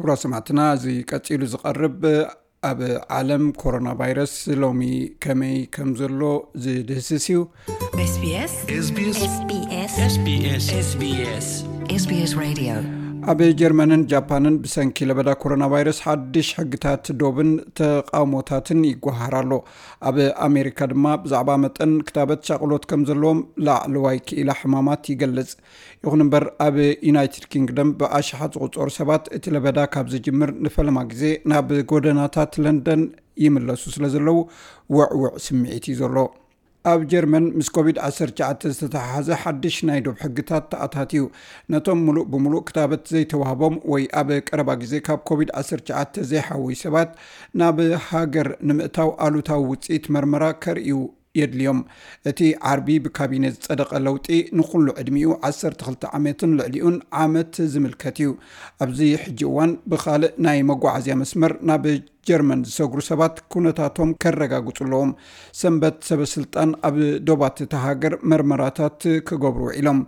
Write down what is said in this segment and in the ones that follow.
ክቡራት ሰማዕትና፣ እዚ ቀጺሉ ዝቐርብ ኣብ ዓለም ኮሮና ቫይረስ ሎሚ ከመይ ከም ዘሎ ዝድህስስ እዩ። SBS SBS SBS SBS SBS Radio. ኣብ ጀርመንን ጃፓንን ብሰንኪ ለበዳ ኮሮና ቫይረስ ሓድሽ ሕግታት ዶብን ተቃውሞታትን ይጓሃር ኣሎ። ኣብ ኣሜሪካ ድማ ብዛዕባ መጠን ክታበት ሻቕሎት ከም ዘለዎም ላዕለዋይ ክኢላ ሕማማት ይገልጽ። ይኹን እምበር ኣብ ዩናይትድ ኪንግደም ብኣሽሓት ዝቑጸሩ ሰባት እቲ ለበዳ ካብ ዝጅምር ንፈለማ ግዜ ናብ ጎደናታት ለንደን ይምለሱ ስለ ዘለዉ ውዕውዕ ስምዒት እዩ ዘሎ። ኣብ ጀርመን ምስ ኮቪድ ዓሰርተ ትሽዓተ ዝተተሓሓዘ ሓድሽ ናይ ዶብ ሕግታት ተኣታትዩ። ነቶም ምሉእ ብምሉእ ክታበት ዘይተዋህቦም ወይ ኣብ ቀረባ ግዜ ካብ ኮቪድ ዓሰርተ ትሽዓተ ዘይሓወዩ ሰባት ናብ ሃገር ንምእታው ኣሉታዊ ውፅኢት መርመራ ከርእዩ የድልዮም። እቲ ዓርቢ ብካቢነ ዝጸደቐ ለውጢ ንኹሉ ዕድሚኡ ዓሰርተ ክልተ ዓመትን ልዕሊኡን ዓመት ዝምልከት እዩ። ኣብዚ ሕጂ እዋን ብኻልእ ናይ መጓዓዝያ መስመር ናብ ጀርመን ዝሰግሩ ሰባት ኩነታቶም ከረጋግጹ ኣለዎም። ሰንበት ሰበ ስልጣን ኣብ ዶባት እታ ሃገር መርመራታት ክገብሩ ውዒሎም።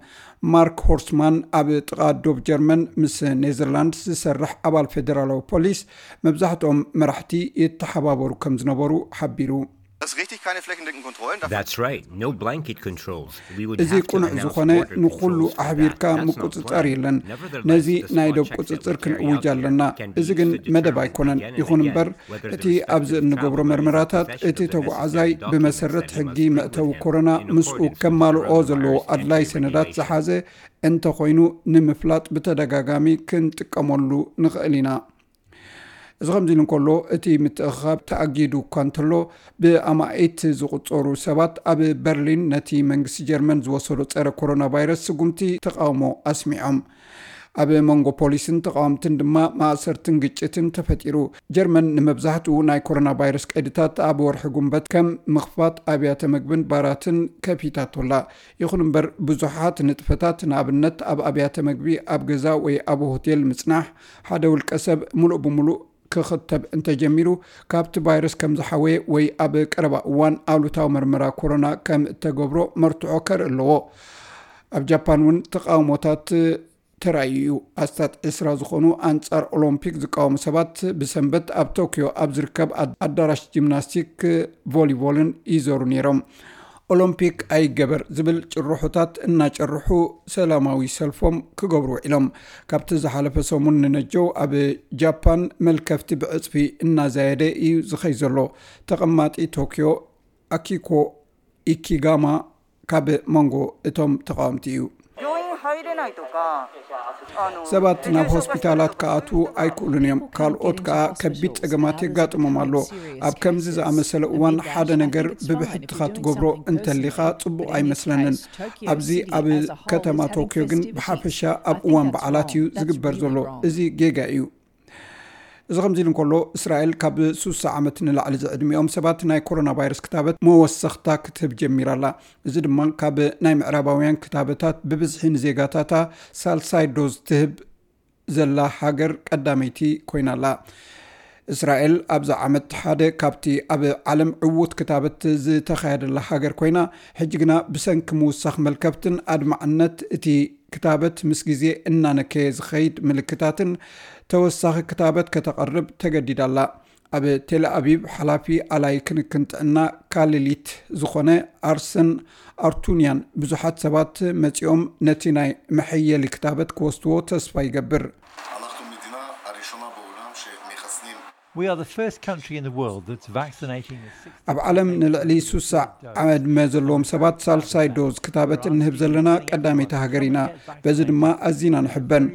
ማርክ ሆርስማን ኣብ ጥቓ ዶብ ጀርመን ምስ ኔዘርላንድስ ዝሰርሕ ኣባል ፌደራላዊ ፖሊስ፣ መብዛሕትኦም መራሕቲ ይተሓባበሩ ከም ዝነበሩ ሓቢሩ። Das richtig keine flächendeckenden Kontrollen. Dafür That's right, no blanket controls. We would እዚ have to ቁኑዕ announce ዝኾነ border ንኹሉ controls, but ኣሕቢርካ that's not ምቁጽጻር planned. የለን። Nevertheless, ነዚ the ናይ spot ዶብ checks that ቁጽጽር we carry ክንእውጅ out ኣለና። can እዚ be ግን determined መደብ again ኣይኮነን። and ይኹን again እምበር whether the እቲ ኣብዚ respective እንገብሮ travel መርመራታት possession እቲ of the ተጓዓዛይ necessary documents ብመሰረት that he ሕጊ must go with መእተዊ him ኮሮና in ምስኡ accordance with ከማልኦ coronavirus ዘለዎ entry ኣድላይ ሰነዳት regulation. ዝሓዘ እንተኾይኑ ንምፍላጥ ብተደጋጋሚ ክንጥቀመሉ ንኽእል ኢና። እዚ ከምዚ ኢሉ እንከሎ፣ እቲ ምትእኽኻብ ተኣጊዱ እኳ እንተሎ፣ ብኣማኢት ዝቑጸሩ ሰባት ኣብ በርሊን ነቲ መንግስቲ ጀርመን ዝወሰዶ ጸረ ኮሮና ቫይረስ ስጉምቲ ተቓውሞ ኣስሚዖም። ኣብ መንጎ ፖሊስን ተቓወምትን ድማ ማእሰርትን ግጭትን ተፈጢሩ። ጀርመን ንመብዛሕትኡ ናይ ኮሮና ቫይረስ ቀይድታት ኣብ ወርሒ ጉንበት ከም ምኽፋት ኣብያተ መግብን ባራትን ከፊታቶላ። ይኹን እምበር ብዙሓት ንጥፈታት፣ ንኣብነት ኣብ ኣብያተ መግቢ፣ ኣብ ገዛ ወይ ኣብ ሆቴል ምጽናሕ፣ ሓደ ውልቀ ሰብ ምሉእ ብምሉእ ክኽተብ እንተጀሚሩ፣ ካብቲ ቫይረስ ከም ዝሓወየ ወይ ኣብ ቀረባ እዋን ኣሉታዊ መርመራ ኮሮና ከም እተገብሮ መርትዖ ከርኢ ኣለዎ። ኣብ ጃፓን እውን ተቓውሞታት ተራእዩ እዩ። ኣስታት ዕስራ ዝኾኑ ኣንጻር ኦሎምፒክ ዝቃወሙ ሰባት ብሰንበት ኣብ ቶክዮ ኣብ ዝርከብ ኣድ- ኣዳራሽ ጂምናስቲክ ቮሊቦልን ይዘሩ ነይሮም። ኦሎምፒክ ኣይገበር ዝብል ጭርሖታት እናጨርሑ ሰላማዊ ሰልፎም ክገብሩ ውዒሎም። ካብቲ ዝሓለፈ ሰሙን ንነጀው ኣብ ጃፓን መልከፍቲ ብዕጽፊ እናዛየደ እዩ ዝኸይ ዘሎ። ተቐማጢ ቶክዮ ኣኪኮ ኢኪጋማ ካብ መንጎ እቶም ተቓወምቲ እዩ። 病院入れないとかあの ሰባት ናብ 重症化してる ሆስፒታላት とか ክኣትዉ ኣይክእሉን እዮም። ካልኦት ከኣ ከቢድ ጸገማት የጋጥሞም ኣሎ። ኣብ ከምዚ ዝኣመሰለ እዋን ሓደ ነገር ብብሕትኻ ትገብሮ እንተሊኻ ጽቡቕ ኣይመስለንን። ኣብዚ ኣብ ከተማ ቶክዮ ግን ብሓፈሻ ኣብ እዋን በዓላት እዩ ዝግበር ዘሎ። እዚ ጌጋ እዩ። እዚ ከምዚ ኢሉ እንከሎ፣ እስራኤል ካብ ሱሳ ዓመት ንላዕሊ ዝዕድሚኦም ሰባት ናይ ኮሮና ቫይረስ ክታበት መወሰኽታ ክትህብ ጀሚራ ኣላ። እዚ ድማ ካብ ናይ ምዕራባውያን ክታበታት ብብዝሒ ንዜጋታታ ሳልሳይ ዶዝ ትህብ ዘላ ሃገር ቀዳመይቲ ኮይና ኣላ። እስራኤል ኣብዚ ዓመት ሓደ ካብቲ ኣብ ዓለም ዕዉት ክታበት ዝተኻየደላ ሃገር ኮይና፣ ሕጂ ግና ብሰንኪ ምውሳኽ መልከፍትን ኣድማዕነት እቲ ክታበት ምስ ግዜ እናነከየ ዝኸይድ ምልክታትን ተወሳኺ ክታበት ከተቐርብ ተገዲዳ ኣላ። ኣብ ቴል ኣቪቭ ሓላፊ ኣላይ ክንክን ጥዕና ካሊሊት ዝኾነ ኣርሰን ኣርቱንያን፣ ብዙሓት ሰባት መጺኦም ነቲ ናይ መሐየሊ ክታበት ክወስድዎ ተስፋ ይገብር። אנחנו המדינה הראשונה בעולם שמחסנים We are the first country in the world that's vaccinating the sixty ኣብ ዓለም ንልዕሊ ሱሳ ዕድመ ዘለዎም ሰባት ሳልሳይ ዶዝ ክታበት እንህብ ዘለና ቀዳመይቲ ሃገር ኢና። በዚ ድማ ኣዚና ንሕበን።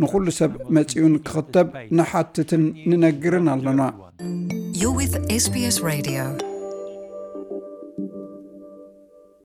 ንኹሉ ሰብ መጺኡ ንክኽተብ ንሓትትን ንነግርን ኣለና። You're with SBS Radio.